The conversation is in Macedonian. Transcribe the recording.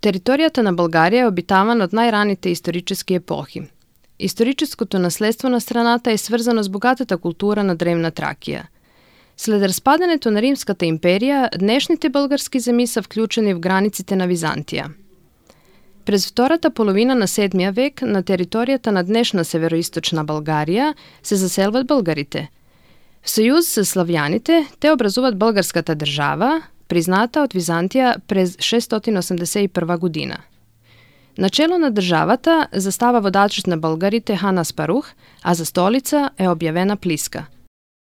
Територијата на Българија е обитавана од најраните исторически епохи. Историческото наследство на страната е сврзано с богатата култура на древна Тракија. След распадането на Римската империја, днешните български земји се вклучени в границите на Византија. През втората половина на 7 век на територијата на днешна североисточна Българија се заселват българите. В сојуз со славјаните, те образуват българската држава, призната од Византија през 681 година. Начело на државата застава водачот на българите Хан Аспарух, а за столица е објавена Плиска.